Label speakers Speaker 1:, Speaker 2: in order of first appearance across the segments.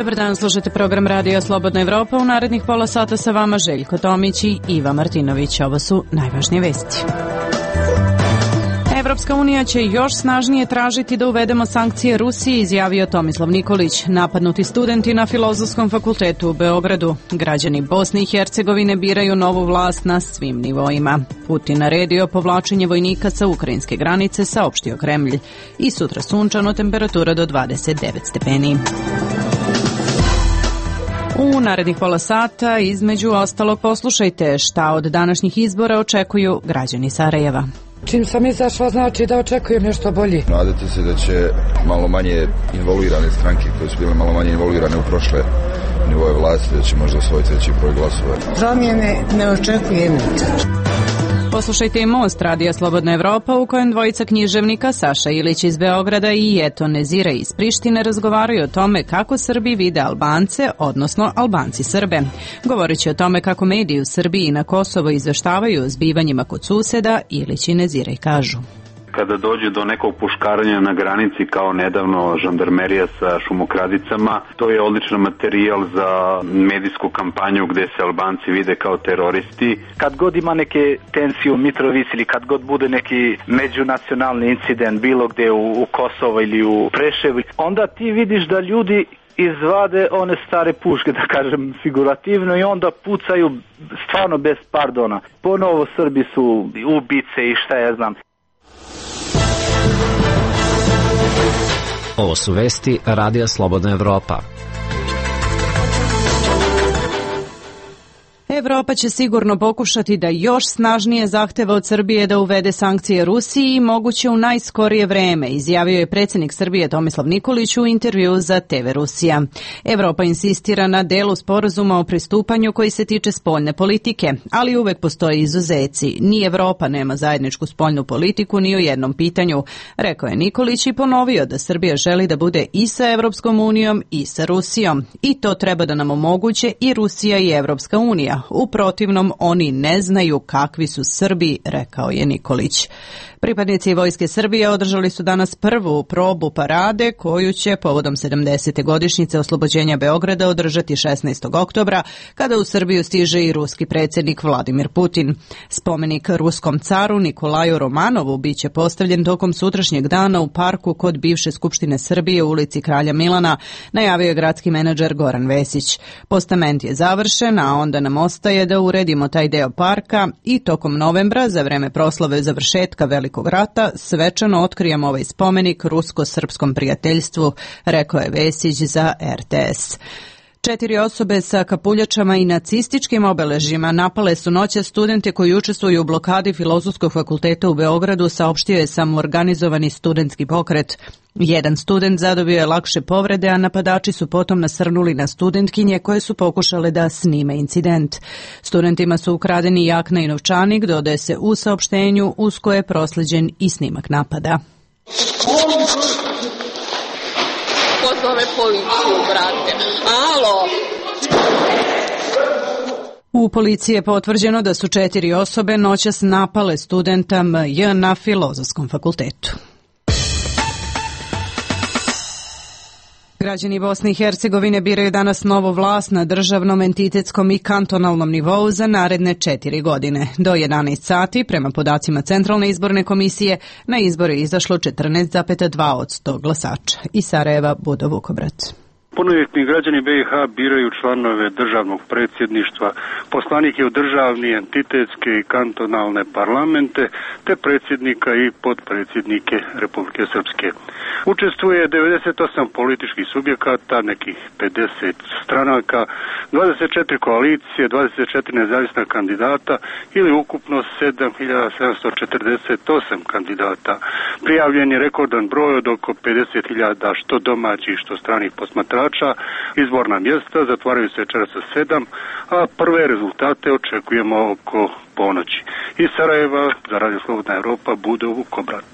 Speaker 1: Dobar dan, slušate program Radio Slobodna Evropa. U narednih pola sata sa vama Željko Tomić i Iva Martinović. Ovo su najvažnije vesti. Evropska unija će još snažnije tražiti da uvedemo sankcije Rusiji, izjavio Tomislav Nikolić. Napadnuti studenti na Filozofskom fakultetu u Beogradu. Građani Bosne i Hercegovine biraju novu vlast na svim nivoima. Putin naredio povlačenje vojnika sa ukrajinske granice, saopštio Kremlj. I sutra sunčano, temperatura do 29 stepeni. U narednih pola sata, između ostalog, poslušajte šta od današnjih izbora očekuju građani Sarajeva.
Speaker 2: Čim sam izašla, znači da očekujem nešto bolje.
Speaker 3: Nadate se da će malo manje involuirane stranke koje su bile malo manje involuirane u prošle nivoje vlasti, da će možda osvojiti veći broj glasova.
Speaker 4: Promjene ne očekujem nikad.
Speaker 1: Poslušajte i Most Radija Slobodna Evropa, u kojem dvojica književnika, Saša Ilić iz Beograda i Eto Nezira iz Prištine, razgovaraju o tome kako Srbi vide Albance, odnosno Albanci Srbe. Govorit će o tome kako mediji u Srbiji i na Kosovo izveštavaju o zbivanjima kod suseda, Ilić i Nezira i kažu.
Speaker 5: Kada dođe do nekog puškaranja na granici, kao nedavno žandarmerija sa šumokradicama, to je odličan materijal za medijsku kampanju gde se Albanci vide kao teroristi.
Speaker 6: Kad god ima neke tensije u Mitrovici ili kad god bude neki međunacionalni incident bilo gde u Kosovo ili u Preševu, onda ti vidiš da ljudi izvade one stare puške, da kažem figurativno, i onda pucaju stvarno bez pardona. Ponovo Srbi su ubice i šta ja znam.
Speaker 7: Ovo su vesti Radija Slobodna Evropa.
Speaker 1: Evropa će sigurno pokušati da još snažnije zahteva od Srbije da uvede sankcije Rusiji i moguće u najskorije vreme, izjavio je predsjednik Srbije Tomislav Nikolić u intervju za TV Rusija. Evropa insistira na delu sporazuma o pristupanju koji se tiče spoljne politike, ali uvek postoje izuzeci. Ni Evropa nema zajedničku spoljnu politiku ni u jednom pitanju, rekao je Nikolić i ponovio da Srbija želi da bude i sa Evropskom unijom i sa Rusijom. I to treba da nam omoguće i Rusija i Evropska unija. U protivnom, oni ne znaju kakvi su Srbi, rekao je Nikolić. Pripadnici Vojske Srbije održali su danas prvu probu parade koju će povodom 70. godišnjice oslobođenja Beograda održati 16. oktobra, kada u Srbiju stiže i ruski predsjednik Vladimir Putin. Spomenik ruskom caru Nikolaju Romanovu biće postavljen tokom sutrašnjeg dana u parku kod bivše Skupštine Srbije u ulici Kralja Milana, najavio je gradski menadžer Goran Vesić. Postament je završen, a onda nam ostaje da uredimo taj deo parka i tokom novembra, za vreme proslave završetka Velikog rata, svečano otkrijemo ovaj spomenik rusko-srpskom prijateljstvu, rekao je Vesić za RTS. 4 osobe sa kapuljačama i nacističkim obeležjima napale su noćas studente koji učestvuju u blokadi Filozofskog fakulteta u Beogradu, saopštio je samoorganizovani studentski pokret. Jedan student zadobio je lakše povrede, a napadači su potom nasrnuli na studentkinje koje su pokušale da snime incident. Studentima su ukradeni jakna i novčanik, dodaje se u saopštenju, uz koje je prosleđen i snimak napada.
Speaker 8: Ko zove policiju, brate? Alo!
Speaker 1: U policiji je potvrđeno da su 4 osobe noćas napale studenta MJ na Filozofskom fakultetu. Građani Bosne i Hercegovine biraju danas novu vlast na državnom, entitetskom i kantonalnom nivou za naredne 4 godine. Do 11 sati, prema podacima Centralne izborne komisije, na izbore je izašlo 14,2% glasača. Iz Sarajeva, Budo Vukobrac.
Speaker 9: Punoljetni građani BiH biraju članove državnog predsjedništva, poslanike u državni, entitetske i kantonalne parlamente, te predsjednika i potpredsjednike Republike Srpske. Učestvuje 98 političkih subjekata, nekih 50 stranaka, 24 koalicije, 24 nezavisna kandidata ili ukupno 7748 kandidata. Prijavljen je rekordan broj od oko 50.000 što domaćih, što stranih posmatrača. Izborna mjesta zatvaraju se večeras sa 7, a prve rezultate očekujemo oko ponoći. Iz Sarajeva za Radio Slobodna Evropa, Budo Vukobrac.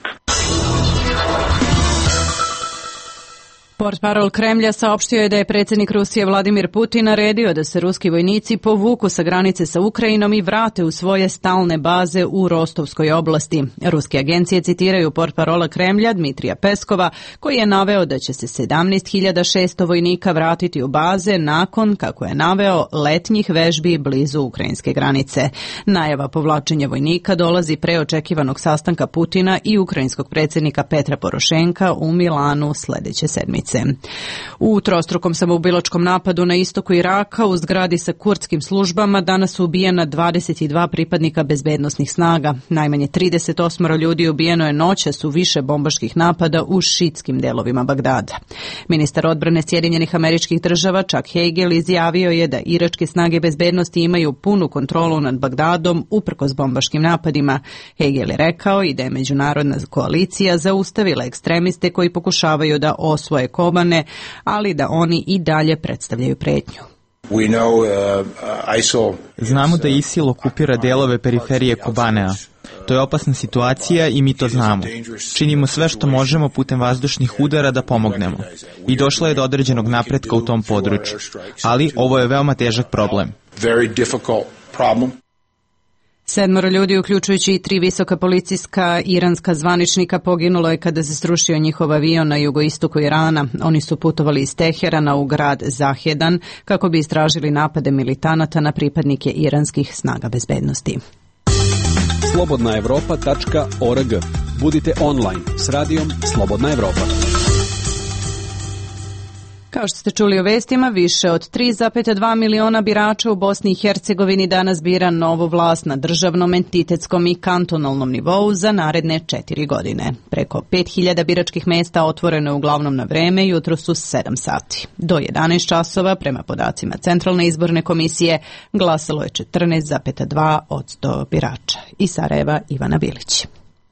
Speaker 1: Portparol Kremlja saopštio je da je predsjednik Rusije Vladimir Putin naredio da se ruski vojnici povuku sa granice sa Ukrajinom i vrate u svoje stalne baze u Rostovskoj oblasti. Ruske agencije citiraju portparola Kremlja Dmitrija Peskova, koji je naveo da će se 17.600 vojnika vratiti u baze nakon, kako je naveo, letnjih vežbi blizu ukrajinske granice. Najava povlačenja vojnika dolazi pre očekivanog sastanka Putina i ukrajinskog predsjednika Petra Porošenka u Milanu sljedeće sedmice. U trostrukom samoubilačkom napadu na istoku Iraka u zgradi sa kurdskim službama danas su ubijena 22 pripadnika bezbednosnih snaga. Najmanje 38 ljudi ubijeno je noćas u više bombaških napada u šiitskim delovima Bagdada. Ministar odbrane Sjedinjenih Američkih Država Chuck Hagel izjavio je da iračke snage bezbednosti imaju punu kontrolu nad Bagdadom uprkos bombaškim napadima. Hagel je rekao i da je međunarodna koalicija zaustavila ekstremiste koji pokušavaju da osvoje Kobane, ali da oni i dalje predstavljaju pretnju.
Speaker 10: Znamo da ISIL okupira delove periferije Kobanea. To je opasna situacija i mi to znamo. Činimo sve što možemo putem vazdušnih udara da pomognemo. I došlo je do određenog napretka u tom području. Ali ovo je veoma težak problem.
Speaker 1: 7 ljudi, uključujući i 3 visoka policijska iranska zvaničnika, poginulo je kada se srušio njihov avion na jugoistoku Irana. Oni su putovali iz Teherana u grad Zahedan kako bi istražili napade militanata na pripadnike iranskih snaga bezbednosti.
Speaker 11: slobodnaevropa.org. Budite online s radijom Slobodna Evropa.
Speaker 1: Kao što ste čuli u vestima, više od 3,2 miliona birača u Bosni i Hercegovini danas bira novu vlast na državnom, entitetskom i kantonalnom nivou za naredne 4 godine. Preko 5.000 biračkih mesta otvoreno je uglavnom na vreme, jutro su 7 sati. Do 11 časova, prema podacima Centralne izborne komisije, glasalo je 14,2% birača. Iz Sarajeva Ivana Bilić.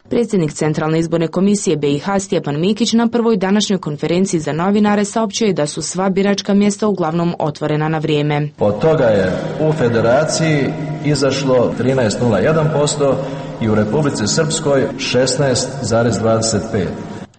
Speaker 12: Predsjednik Centralne izborne komisije BiH Stjepan Mikić na prvoj današnjoj konferenciji za novinare saopćio je da su sva biračka mjesta uglavnom otvorena na vrijeme.
Speaker 13: Od toga je u Federaciji izašlo 13,01% i u Republici Srpskoj 16,25%.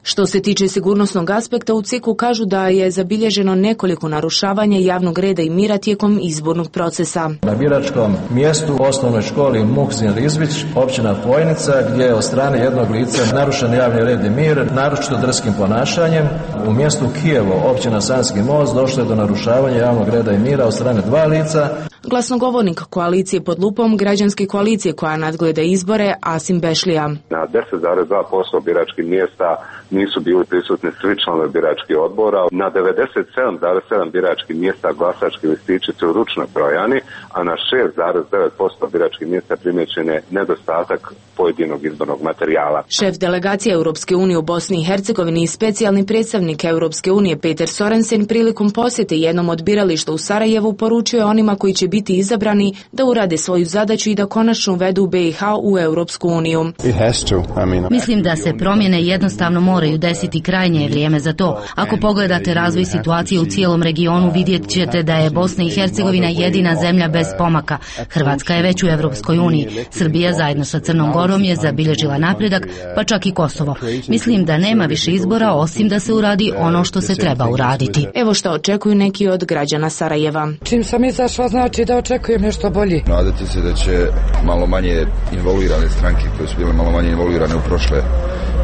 Speaker 12: Što se tiče sigurnosnog aspekta, u CIK-u kažu da je zabilježeno nekoliko narušavanja javnog reda i mira tijekom izbornog procesa.
Speaker 13: Na biračkom mjestu u osnovnoj školi Muhzin Rizvić, općina Fojnica, gdje je od strane jednog lica narušen javni red i mir, naročito drskim ponašanjem. U mjestu Kijevo, općina Sanski most, došlo je do narušavanja javnog reda i mira od strane 2 lica.
Speaker 12: Glasnogovornik koalicije pod lupom Građanske koalicije koja nadgleda izbore, Asim Bešlija.
Speaker 14: Na 10,2% biračkih mjesta nisu bili prisutni svi članovi biračkih odbora. Na 97,7 biračkih mjesta glasački listići su ručno brojani, a na 6,9% biračkih mjesta primijećen je nedostatak pojedinog izbornog materijala.
Speaker 12: Šef delegacije Europske unije u Bosni i Hercegovini i specijalni predstavnik Europske unije Peter Sorensen prilikom posjete jednom od birališta u Sarajevu poručio je onima koji će biti izabrani da urade svoju zadaću i da konačno uvedu BiH u Europsku uniju.
Speaker 15: Mislim da se promjene jednostavno moraju desiti, krajnje je vrijeme za to. Ako pogledate razvoj situacije u cijelom regionu, vidjet ćete da je Bosna i Hercegovina jedina zemlja bez pomaka. Hrvatska je već u Europskoj uniji. Srbija zajedno sa Crnom Gorom je zabilježila napredak, pa čak i Kosovo. Mislim da nema više izbora osim da se uradi ono što se treba uraditi.
Speaker 12: Evo što očekuju neki od građana Sarajeva.
Speaker 2: Čim sam izašla, znači da očekujem nešto bolje.
Speaker 3: Nadati se da će malo manje involvirane stranke koje su bile malo manje involvirane u prošle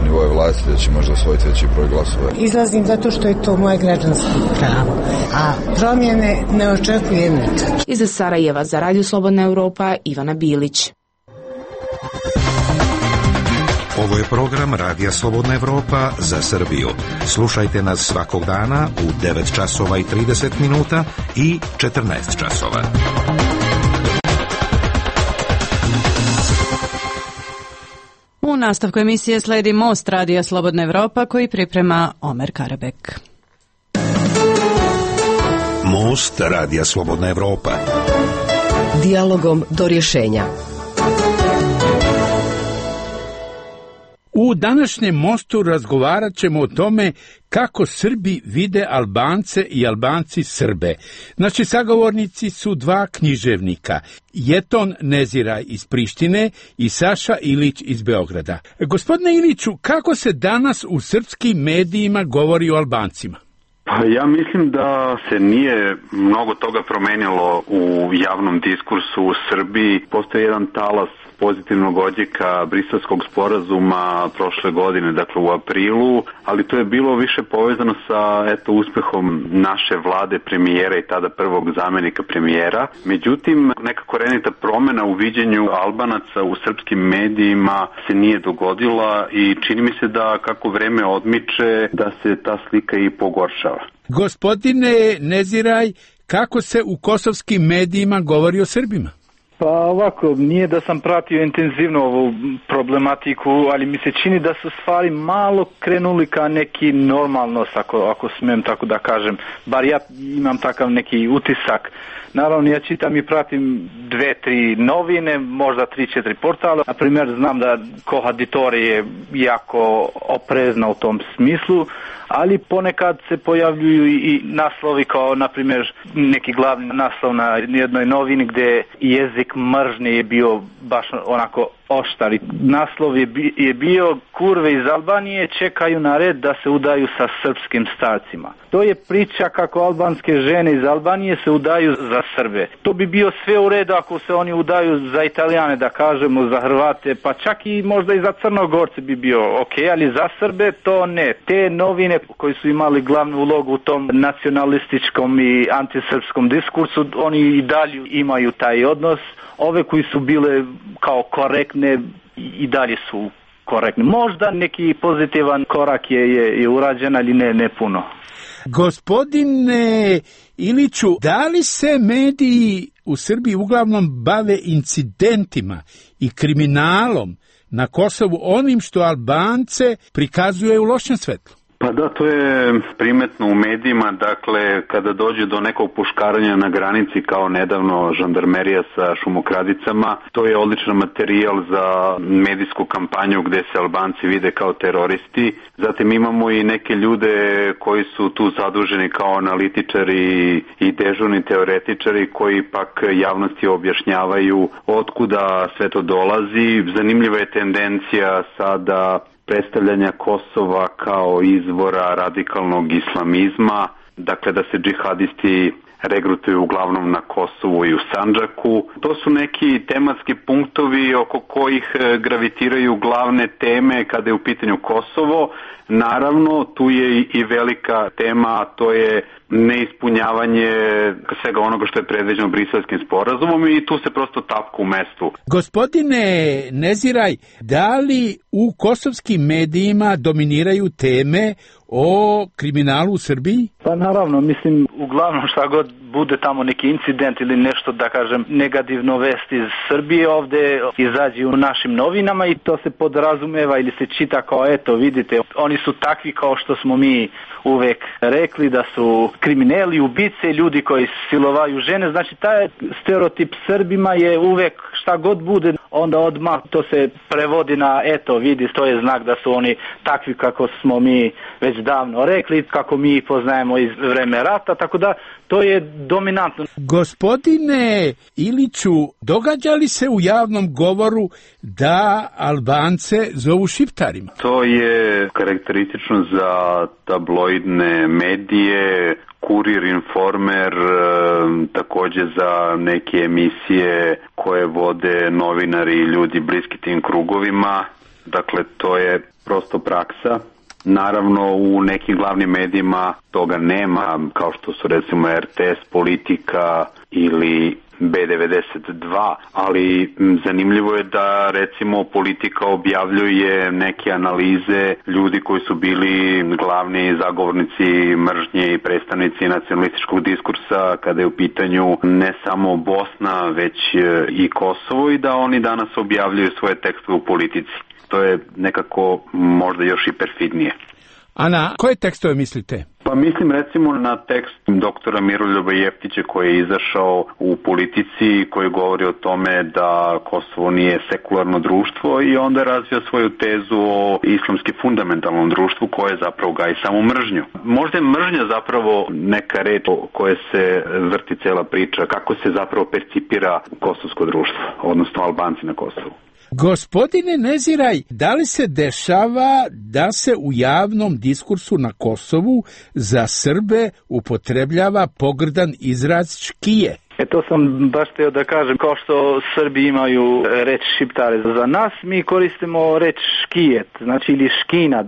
Speaker 3: nivoje vlasti, da će možda osvojiti veći broj glasova.
Speaker 4: Izlazim zato što je to moje građansko pravo, a promjene ne očekujem nikad.
Speaker 12: Iz Sarajeva za Radio Slobodna Evropa, Ivana Bilić.
Speaker 16: Ovo je program Radija Slobodna Evropa za Srbiju. Slušajte nas svakog dana u 9 časova i 30 minuta i 14 časova.
Speaker 1: U nastavku emisije slijedi Most Radija Slobodna Evropa koji priprema Omer Karabek.
Speaker 16: Most Radija Slobodna Evropa.
Speaker 17: Dijalogom do rješenja.
Speaker 18: U današnjem mostu razgovarat ćemo o tome kako Srbi vide Albance i Albanci Srbe. Naši sagovornici su 2 književnika, Jeton Neziraj iz Prištine i Saša Ilić iz Beograda. Gospodine Iliću, kako se danas u srpskim medijima govori o Albancima?
Speaker 5: Pa ja mislim da se nije mnogo toga promenilo u javnom diskursu u Srbiji. Postoji jedan talas pozitivnog odjeka Briselskog sporazuma prošle godine, dakle u aprilu, ali to je bilo više povezano sa uspehom naše vlade, premijera i tada prvog zamenika premijera. Međutim, neka korenita promena u viđenju Albanaca u srpskim medijima se nije dogodila i čini mi se da kako vreme odmiče da se ta slika i pogoršava.
Speaker 18: Gospodine Neziraj, kako se u kosovskim medijima govori o Srbima?
Speaker 6: Pa ovako, nije da sam pratio intenzivno ovu problematiku, ali mi se čini da su stvari malo krenuli ka neki normalnost, ako smijem tako da kažem. Bar ja imam takav neki utisak. Naravno, ja čitam i pratim 2-3 novine, možda 3-4 portala. Na primjer, znam da Kohaditori je jako oprezna u tom smislu, ali ponekad se pojavljuju i naslovi kao, na primjer, neki glavni naslov na jednoj novini gdje jezik mržnje je bio baš onako oštar. Naslov je bio: kurve iz Albanije čekaju na red da se udaju sa srpskim starcima. To je priča kako albanske žene iz Albanije se udaju za Srbe. To bi bio sve u redu ako se oni udaju za Italijane, da kažemo, za Hrvate, pa čak i možda i za Crnogorce bi bio ok, ali za Srbe to ne. Te novine koji su imali glavnu ulogu u tom nacionalističkom i antisrpskom diskursu, oni i dalje imaju taj odnos. Ove koji su bile kao korektne i dalje su korektne. Možda neki pozitivan korak je urađen, ali ne puno.
Speaker 18: Gospodine Iliću, da li se mediji u Srbiji uglavnom bave incidentima i kriminalom na Kosovu, onim što Albance prikazuje u lošem svetlu?
Speaker 5: Pa da, to je primetno u medijima, dakle, kada dođe do nekog puškaranja na granici, kao nedavno žandarmerija sa šumokradicama, to je odličan materijal za medijsku kampanju gde se Albanci vide kao teroristi. Zatim imamo i neke ljude koji su tu zaduženi kao analitičari i dežurni teoretičari koji pak javnosti objašnjavaju otkuda sve to dolazi. Zanimljiva je tendencija sada predstavljanja Kosova kao izvora radikalnog islamizma, dakle da se džihadisti regrutuju uglavnom na Kosovu i u Sandžaku. To su neki tematski punktovi oko kojih gravitiraju glavne teme kada je u pitanju Kosovo. Naravno, tu je i velika tema, a to je neispunjavanje svega onoga što je predviđeno Briselskim sporazumom i tu se prosto tapka u mestu.
Speaker 18: Gospodine Neziraj, da li u kosovskim medijima dominiraju teme o kriminalu u Srbiji?
Speaker 6: Pa naravno, mislim, uglavnom šta god bude tamo neki incident ili nešto, da kažem, negativno vest iz Srbije ovde izađe u našim novinama i to se podrazumeva ili se čita kao eto, vidite, oni su takvi kao što smo mi uvek rekli da su krimineli, ubice, ljudi koji silovaju žene. Znači, taj stereotip Srbima je uvek šta god bude, onda odmah to se prevodi na eto, vidi, to je znak da su oni takvi kako smo mi već davno rekli, kako mi poznajemo iz vreme rata, tako da to je dominantno.
Speaker 18: Gospodine Iliću, događa li se u javnom govoru da Albance zovu šiptarima?
Speaker 5: To je karakteristično za tabloidne medije, Kurir, Informer, takođe za neke emisije koje vode novinari i ljudi bliski tim krugovima. Dakle, to je prosto praksa. Naravno, u nekim glavnim medijima toga nema, kao što su recimo RTS, Politika ili B92, ali zanimljivo je da recimo Politika objavljuje neke analize ljudi koji su bili glavni zagovornici mržnje i predstavnici nacionalističkog diskursa kada je u pitanju ne samo Bosna, već i Kosovo, i da oni danas objavljuju svoje tekstove u Politici. To je nekako možda još i perfidnije.
Speaker 18: A na koje tekstove mislite?
Speaker 5: Pa mislim recimo na tekst doktora Miroljuba Jeftića koji je izašao u Politici, koji govori o tome da Kosovo nije sekularno društvo i onda razvija svoju tezu o islamski fundamentalnom društvu koje zapravo gaji samo mržnju. Možda je mržnja zapravo neka reč o koje se vrti cela priča, kako se zapravo percipira kosovsko društvo, odnosno Albanci na Kosovu.
Speaker 18: Gospodine Neziraj, da li se dešava da se u javnom diskursu na Kosovu za Srbe upotrebljava pogrdan izraz škije.
Speaker 6: To sam baš htio da kažem, kao što Srbi imaju reč šiptare za nas, mi koristimo reč škijet, znači ili škinat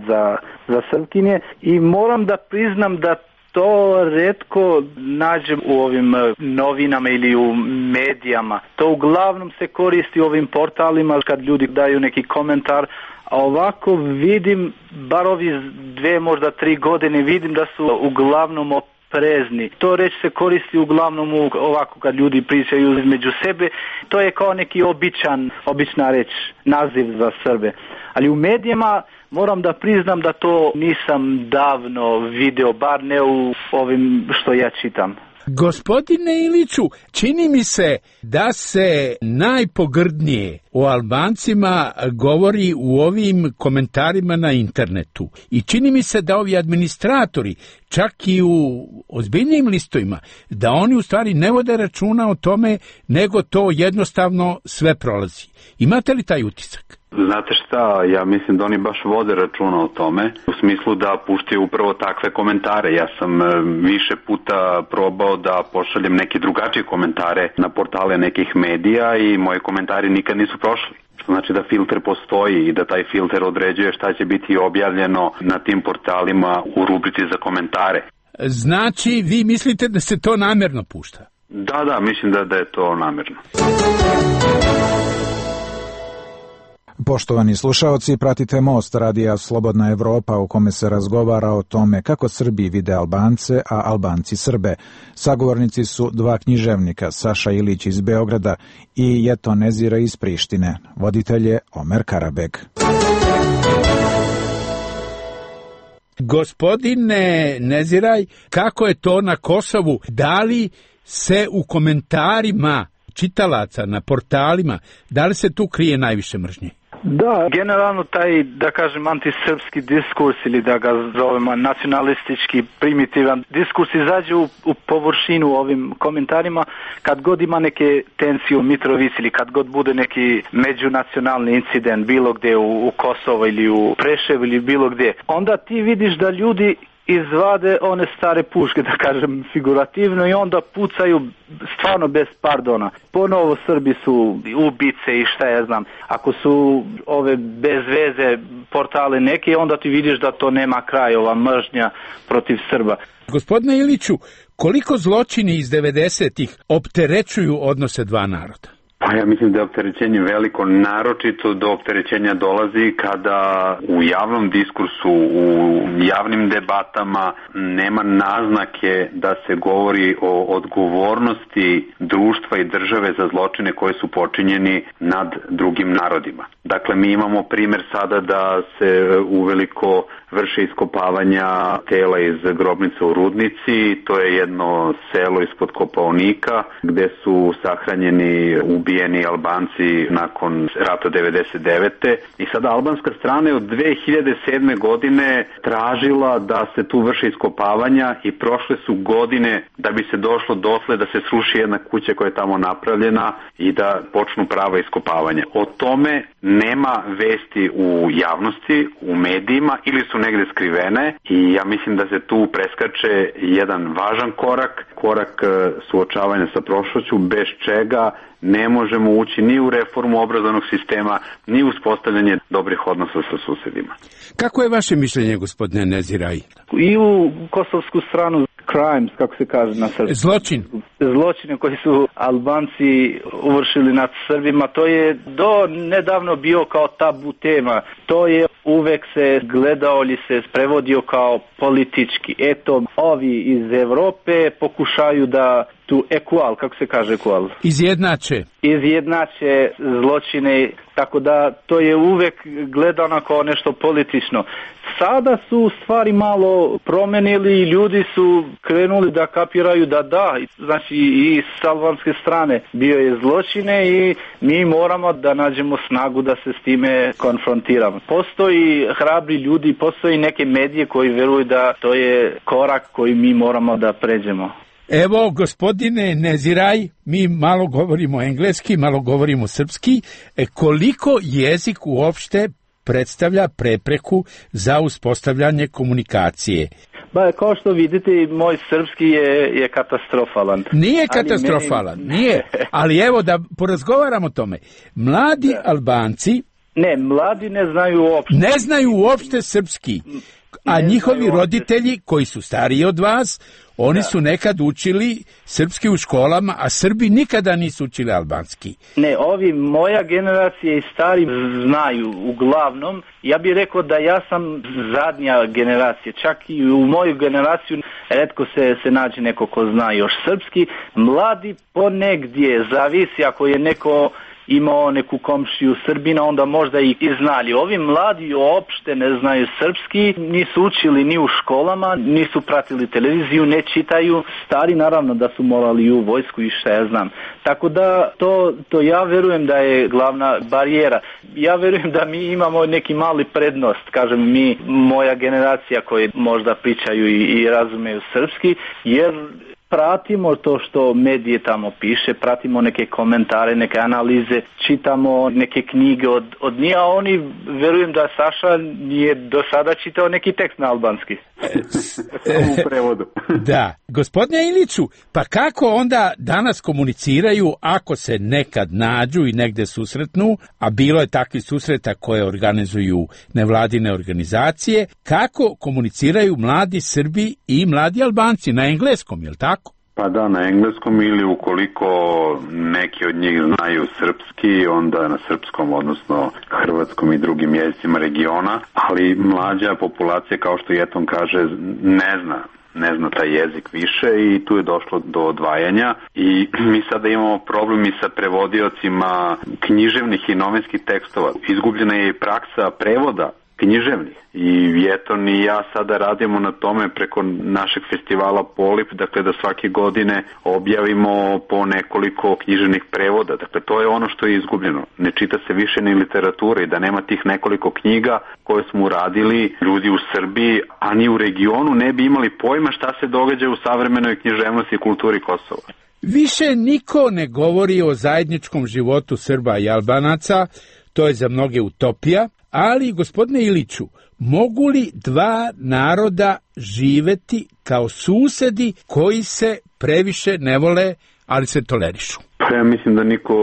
Speaker 6: za Srpkinje i moram da priznam da to retko nađem u ovim novinama ili u medijama. To uglavnom se koristi u ovim portalima kad ljudi daju neki komentar, a ovako vidim, bar ovi 2, možda 3 godine, vidim da su uglavnom oprezni. To reč se koristi uglavnom ovako kad ljudi pričaju između sebe. To je kao neki obična reč, naziv za Srbe. Ali u medijima moram da priznam da to nisam davno video, bar ne u ovim što ja čitam.
Speaker 18: Gospodine Iliću, čini mi se da se najpogrdnije o Albancima govori u ovim komentarima na internetu. I čini mi se da ovi administratori, čak i u ozbiljnim listovima, da oni u stvari ne vode računa o tome, nego to jednostavno sve prolazi. Imate li taj utisak?
Speaker 5: Znate šta, ja mislim da oni baš vode računa o tome, u smislu da puštaju upravo takve komentare. Ja sam više puta probao da pošaljem neke drugačije komentare na portale nekih medija i moji komentari nikad nisu prošli. Što znači da filter postoji i da taj filter određuje šta će biti objavljeno na tim portalima u rubrici za komentare.
Speaker 18: Znači, vi mislite da se to namerno pušta?
Speaker 5: Da, mislim da je to namerno.
Speaker 19: Poštovani slušaoci, pratite Most radija Slobodna Evropa u kome se razgovara o tome kako Srbi vide Albance, a Albanci Srbe. Sagovornici su 2 književnika, Saša Ilić iz Beograda i Jeton Nezira iz Prištine. Voditelj je Omer Karabeg.
Speaker 18: Gospodine Neziraj, kako je to na Kosovu? Da li se u komentarima čitalaca na portalima, da li se tu krije najviše mržnje?
Speaker 6: Da, generalno taj, da kažem, antisrpski diskurs ili da ga zovemo nacionalistički primitivan diskurs izađe u površinu ovim komentarima kad god ima neke tensije u Mitrovici ili kad god bude neki međunacionalni incident bilo gdje u Kosovo ili u Preševu ili bilo gdje. Onda ti vidiš da ljudi izvade one stare puške, da kažem figurativno, i onda pucaju stvarno bez pardona. Ponovo Srbi su ubice i šta ja znam. Ako su ove bez veze portale neke, onda ti vidiš da to nema kraja, ova mržnja protiv Srba.
Speaker 18: Gospodine Iliću, koliko zločini iz 90-ih opterećuju odnose 2 naroda?
Speaker 5: Pa ja mislim da je opterećenje veliko, naročito do opterećenja dolazi kada u javnom diskursu, u javnim debatama nema naznake da se govori o odgovornosti društva i države za zločine koji su počinjeni nad drugim narodima. Dakle, mi imamo primjer sada da se uveliko vrše iskopavanja tela iz grobnica u Rudnici. To je jedno selo ispod Kopaonika gde su sahranjeni ubijeni Albanci nakon rata 99. I sada albanska strana je od 2007. godine tražila da se tu vrše iskopavanja i prošle su godine da bi se došlo dotle da se sruši jedna kuća koja je tamo napravljena i da počnu prava iskopavanja. O tome nema vesti u javnosti, u medijima ili su negde skrivene i ja mislim da se tu preskače jedan važan korak suočavanja sa prošlošću, bez čega ne možemo ući ni u reformu obrazovnog sistema, ni u uspostavljanje dobrih odnosa sa susedima.
Speaker 18: Kako je vaše mišljenje, gospodine Neziraj?
Speaker 6: I u kosovsku stranu crimes, kako se kaže na srpskom. Zločine koji su Albanci uvršili nad Srbima, to je do nedavno bio kao tabu tema. To je uvek se gledao ili se prevodio kao politički. Eto, ovi iz Evrope pokušaju da tu kako se kaže izjednače zločine, tako da to je uvek gledano kao nešto politično. Sada su stvari malo promenili i ljudi su krenuli da kapiraju da, znači i s albanske strane bio je zločine i mi moramo da nađemo snagu da se s time konfrontiramo. Postoji hrabri ljudi, postoji neke medije koji veruju da to je korak koji mi moramo da pređemo.
Speaker 18: Evo, gospodine Neziraj, mi malo govorimo engleski, malo govorimo srpski. Koliko jezik uopšte predstavlja prepreku za uspostavljanje komunikacije?
Speaker 6: Ba, kao što vidite, moj srpski je katastrofalan.
Speaker 18: Nije katastrofalan, nije. Ali evo da porazgovaramo o tome. Mladi Albanci...
Speaker 6: Ne, mladi ne znaju uopšte.
Speaker 18: Ne znaju uopšte srpski. A njihovi roditelji, koji su stariji od vas, oni su nekad učili srpski u školama, a Srbi nikada nisu učili albanski.
Speaker 6: Ne, moja generacija i stari znaju uglavnom. Ja bih rekao da ja sam zadnja generacija. Čak i u moju generaciju retko se nađe neko ko zna još srpski. Mladi ponegdje, zavisi ako je neko imao neku komšiju Srbina, onda možda i znali. Ovi mladi uopšte ne znaju srpski, nisu učili ni u školama, nisu pratili televiziju, ne čitaju. Stari naravno da su morali u vojsku i šta ja znam. Tako da to ja verujem da je glavna barijera. Ja verujem da mi imamo neki mali prednost, kažem mi, moja generacija koji možda pričaju i razumeju srpski, jer pratimo to što medije tamo piše, pratimo neke komentare, neke analize, čitamo neke knjige od njih, a oni, verujem da Saša nije do sada čitao neki tekst na albanski. U prevodu.
Speaker 18: Da. Gospodine Iliću, pa kako onda danas komuniciraju ako se nekad nađu i negde susretnu, a bilo je takvih susreta koje organizuju nevladine organizacije, kako komuniciraju mladi Srbi i mladi Albanci na engleskom, je li tako?
Speaker 5: Pa da, na engleskom, ili ukoliko neki od njih znaju srpski, onda na srpskom, odnosno hrvatskom i drugim jezicima regiona, ali mlađa populacija, kao što Jeton kaže, ne zna taj jezik više i tu je došlo do odvajanja i mi sada imamo problem i sa prevodiocima književnih i novinskih tekstova. Izgubljena je i praksa prevoda književnih i Jeton i ja sada radimo na tome preko našeg festivala Polip, dakle da svake godine objavimo po nekoliko književnih prevoda. Dakle, to je ono što je izgubljeno. Ne čita se više ni literatura i da nema tih nekoliko knjiga koje smo uradili, ljudi u Srbiji, a ni u regionu ne bi imali pojma šta se događa u savremenoj književnosti i kulturi Kosova.
Speaker 18: Više niko ne govori o zajedničkom životu Srba i Albanaca, to je za mnoge utopija, ali, gospodine Iliću, mogu li dva naroda živeti kao susedi koji se previše ne vole, ali se tolerišu?
Speaker 5: Ja mislim da niko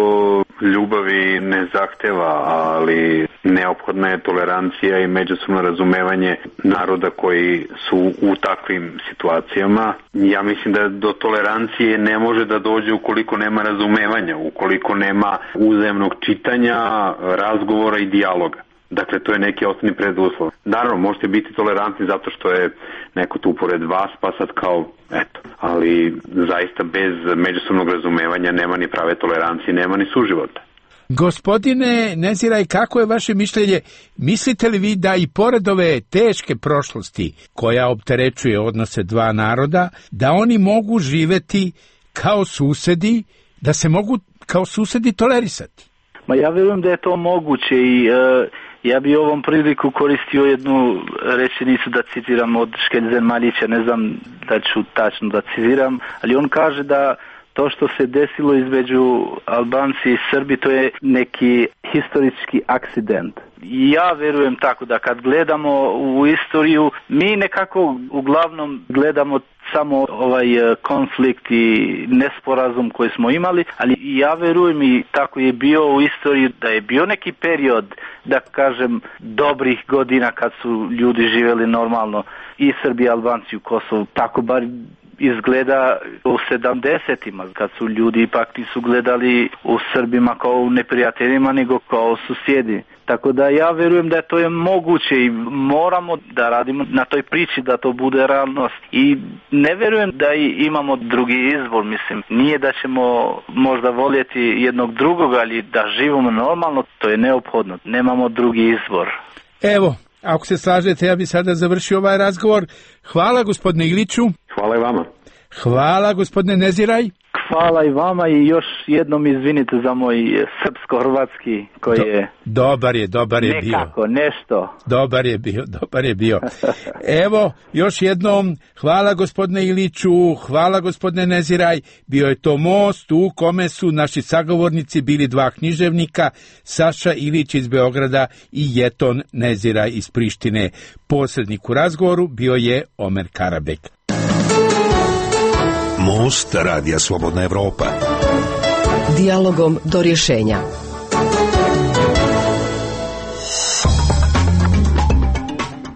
Speaker 5: ljubavi ne zahteva, ali neophodna je tolerancija i međusobno razumevanje naroda koji su u takvim situacijama. Ja mislim da do tolerancije ne može da dođe ukoliko nema razumevanja, ukoliko nema uzajamnog čitanja, razgovora i dijaloga. Dakle, to je neki osnovni preduslov. Naravno, možete biti tolerantni zato što je neko tu pored vas, pa sad kao, eto. Ali zaista bez međusobnog razumevanja nema ni prave tolerancije, nema ni suživota.
Speaker 18: Gospodine Neziraj, kako je vaše mišljenje? Mislite li vi da i pored ove teške prošlosti koja opterećuje odnose dva naroda, da oni mogu živeti kao susedi, da se mogu kao susedi tolerisati?
Speaker 6: Ma ja vjerujem da je to moguće i ja bi ovom priliku koristio jednu rečenicu da citiram od Škelzen Maljića, ne znam da ću tačno da citiram, ali on kaže da to što se desilo između Albanci i Srbi, to je neki historički akcident. Ja verujem tako da kad gledamo u istoriju, mi nekako uglavnom gledamo samo ovaj konflikt i nesporazum koji smo imali, ali ja verujem i tako je bio u istoriji da je bio neki period, da kažem, dobrih godina kad su ljudi živjeli normalno i Srbi i Albanci u Kosovu, tako bar izgleda u 70-ima, kad su ljudi ipak su gledali u Srbima kao u neprijateljima nego kao susjedi. Tako da ja verujem da to je moguće i moramo da radimo na toj priči da to bude realnost. I ne verujem da imamo drugi izbor, mislim. Nije da ćemo možda voljeti jednog drugog, ali da živimo normalno, to je neophodno. Nemamo drugi izbor.
Speaker 18: Evo, ako se slažete, ja bi sada završio ovaj razgovor. Hvala gospodine Iliću.
Speaker 5: Hvala i vama.
Speaker 18: Hvala gospodine Neziraj.
Speaker 6: Hvala i vama i još jednom izvinite za moj srpsko-hrvatski koji je...
Speaker 18: Dobar je
Speaker 6: nekako,
Speaker 18: bio.
Speaker 6: Nešto.
Speaker 18: Dobar je bio. Evo, još jednom, hvala gospodine Iliću, hvala gospodine Neziraj. Bio je to most u kome su naši sagovornici bili dva književnika, Saša Ilić iz Beograda i Jeton Neziraj iz Prištine. Posrednik u razgovoru bio je Omer Karabek.
Speaker 16: Most Radija Slobodna Evropa.
Speaker 17: Dijalogom do rješenja.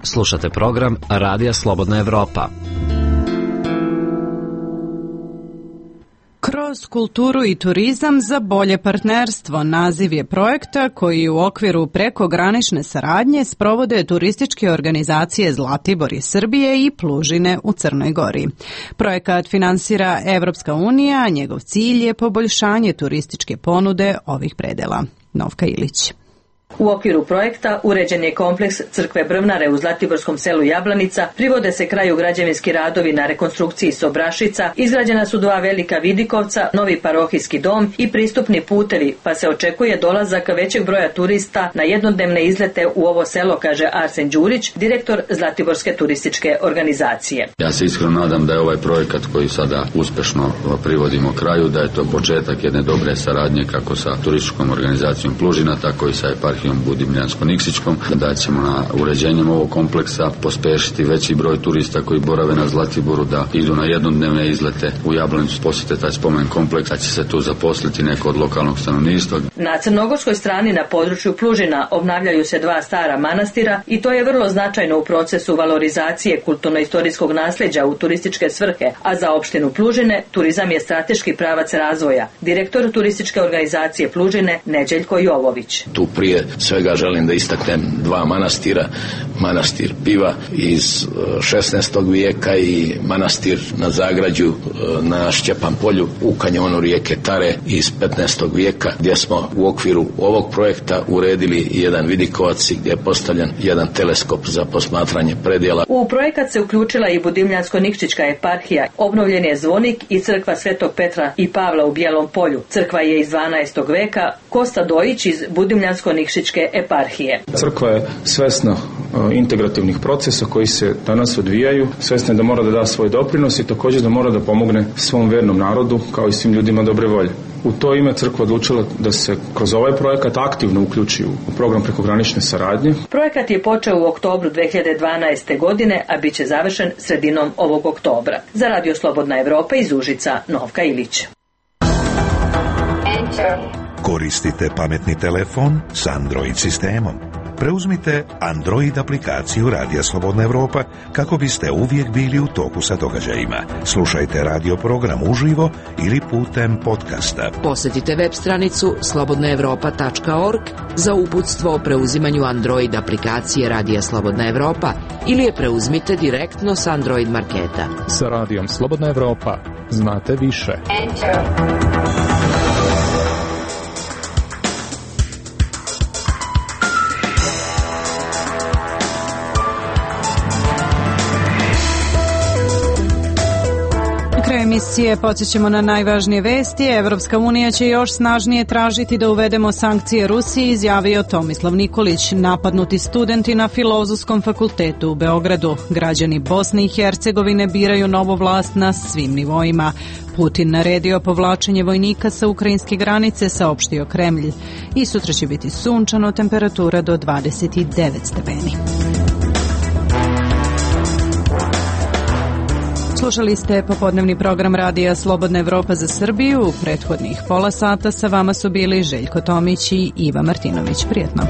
Speaker 7: Slušate program Radija Slobodna Evropa.
Speaker 1: Kroz kulturu i turizam za bolje partnerstvo naziv je projekta koji u okviru prekogranične saradnje sprovode turističke organizacije Zlatibor iz Srbije i Plužine u Crnoj Gori. Projekat finansira Evropska unija, a njegov cilj je poboljšanje turističke ponude ovih predela. Novka Ilić.
Speaker 20: U okviru projekta uređen je kompleks crkve Brvnare u zlatiborskom selu Jablanica, privode se kraju građevinski radovi na rekonstrukciji Sobrašica, izgrađena su dva velika vidikovca, novi parohijski dom i pristupni putevi, pa se očekuje dolazak većeg broja turista na jednodnevne izlete u ovo selo, kaže Arsen Đurić, direktor Zlatiborske turističke organizacije.
Speaker 21: Ja se iskreno nadam da je ovaj projekat koji sada uspešno privodimo kraju, da je to početak jedne dobre saradnje kako sa turističkom organizacijom Plužina, tako i sa eparhijom Budimljansko-Niksićkom, da ćemo na uređenjem ovog kompleksa pospešiti veći broj turista koji borave na Zlatiboru da idu na jednodnevne izlete u Jablanicu, posjete taj spomen kompleks, da će se tu zaposliti neko od lokalnog stanovništva.
Speaker 20: Na crnogorskoj strani na području Plužina obnavljaju se dva stara manastira i to je vrlo značajno u procesu valorizacije kulturno-istorijskog nasljeđa u turističke svrhe, a za opštinu Plužine turizam je strateški pravac razvoja. Direktor turističke organizacije Plužine Neđeljko Jovović.
Speaker 22: Tu prije svega želim da istaknem dva manastira, manastir Piva iz 16. vijeka i manastir na Zagrađu na Šćepan polju u kanjonu rijeke Tare iz 15. vijeka, gdje smo u okviru ovog projekta uredili jedan vidikovac i gdje je postavljen jedan teleskop za posmatranje predjela.
Speaker 20: U projekat se uključila i Budimljansko-Nikšićka eparhija, obnovljen je zvonik i crkva Svetog Petra i Pavla u Bijelom polju. Crkva je iz 12. veka, Kosta Dojić iz Budimljansko-Nikšićke eparhije.
Speaker 23: Crkva je svesna integrativnih procesa koji se danas odvijaju, svesna je da mora da da svoj doprinos i također da mora da pomogne svom vernom narodu kao i svim ljudima dobre volje. U to ime crkva odlučila da se kroz ovaj projekat aktivno uključi u program prekogranične saradnje.
Speaker 20: Projekat je počeo u oktobru 2012. godine, a bit će završen sredinom ovog oktobra. Za Radio Slobodna Evropa iz Užica, Novka Ilić.
Speaker 16: Koristite pametni telefon s Android sistemom. Preuzmite Android aplikaciju Radija Slobodna Evropa kako biste uvijek bili u toku sa događajima. Slušajte radio program uživo ili putem podcasta.
Speaker 24: Posjetite web stranicu slobodnaevropa.org za uputstvo o preuzimanju Android aplikacije Radija Slobodna Evropa ili je preuzmite direktno s Android marketa.
Speaker 25: Sa Radijom Slobodna Evropa znate više.
Speaker 1: Emisije podsjećamo na najvažnije vesti. Evropska unija će još snažnije tražiti da uvedemo sankcije Rusiji, izjavio Tomislav Nikolić. Napadnuti studenti na Filozofskom fakultetu u Beogradu. Građani Bosne i Hercegovine biraju novu vlast na svim nivoima. Putin naredio povlačenje vojnika sa ukrajinske granice, saopštio Kremlj. I sutra će biti sunčano, temperatura do 29 stepeni. Slušali ste popodnevni program Radija Slobodna Evropa za Srbiju. U prethodnih pola sata sa vama su bili Željko Tomić i Iva Martinović. Prijetno.